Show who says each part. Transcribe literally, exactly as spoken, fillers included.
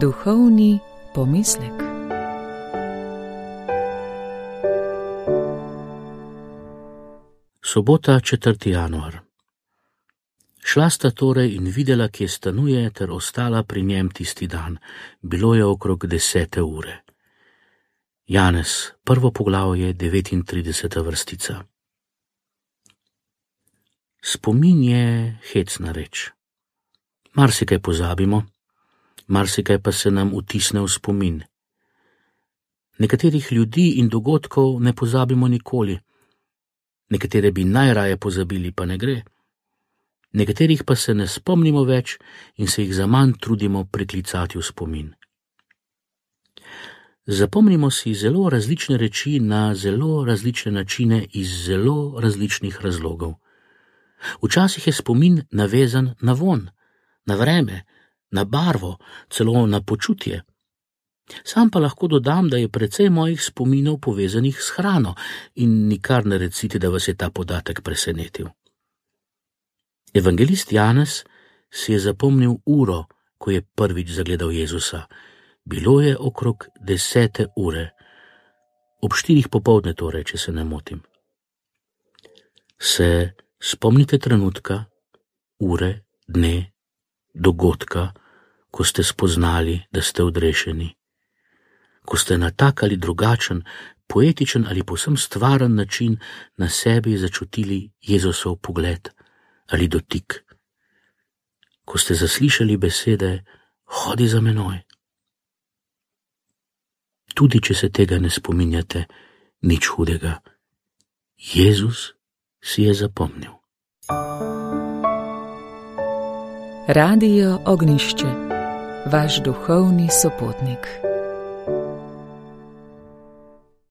Speaker 1: Duhovni pomislek.
Speaker 2: Sobota, četrti januar. Šla sta torej in videla, kje stanuje, ter ostala pri njem tisti dan. Bilo je okrog desete ure. Janez, prvo poglavje, devetintrideseta vrstica. Spomin je hecna reč. Marsikaj pozabimo, marsikaj pa se nam vtisne v spomin. Nekaterih ljudi in dogodkov ne pozabimo nikoli, nekatere bi najraje pozabili, pa ne gre. Nekaterih pa se ne spomnimo več in se jih zaman trudimo priklicati v spomin. Zapomnimo si zelo različne reči na zelo različne načine iz zelo različnih razlogov. Včasih je spomin navezan na vonj, na vreme, na barvo, celo na počutje. Sam pa lahko dodam, da je precej mojih spominov povezanih s hrano in nikar ne recite, da vas je ta podatek presenetil. Evangelist Janez si je zapomnil uro, ko je prvič zagledal Jezusa. Bilo je okrog desete ure, ob štirih popoldne torej, če se ne motim. Se spomnite trenutka, ure, dne, dogodka, ko ste spoznali, da ste odrešeni, ko ste na tak ali drugačen, poetičen ali povsem stvaren način na sebi začutili Jezusov pogled ali dotik, ko ste zaslišali besede hodi za menoj. Tudi če se tega ne spominjate, nič hudega. Jezus si je zapomnil.
Speaker 1: Radio Ognjišče, vaš duhovni sopotnik.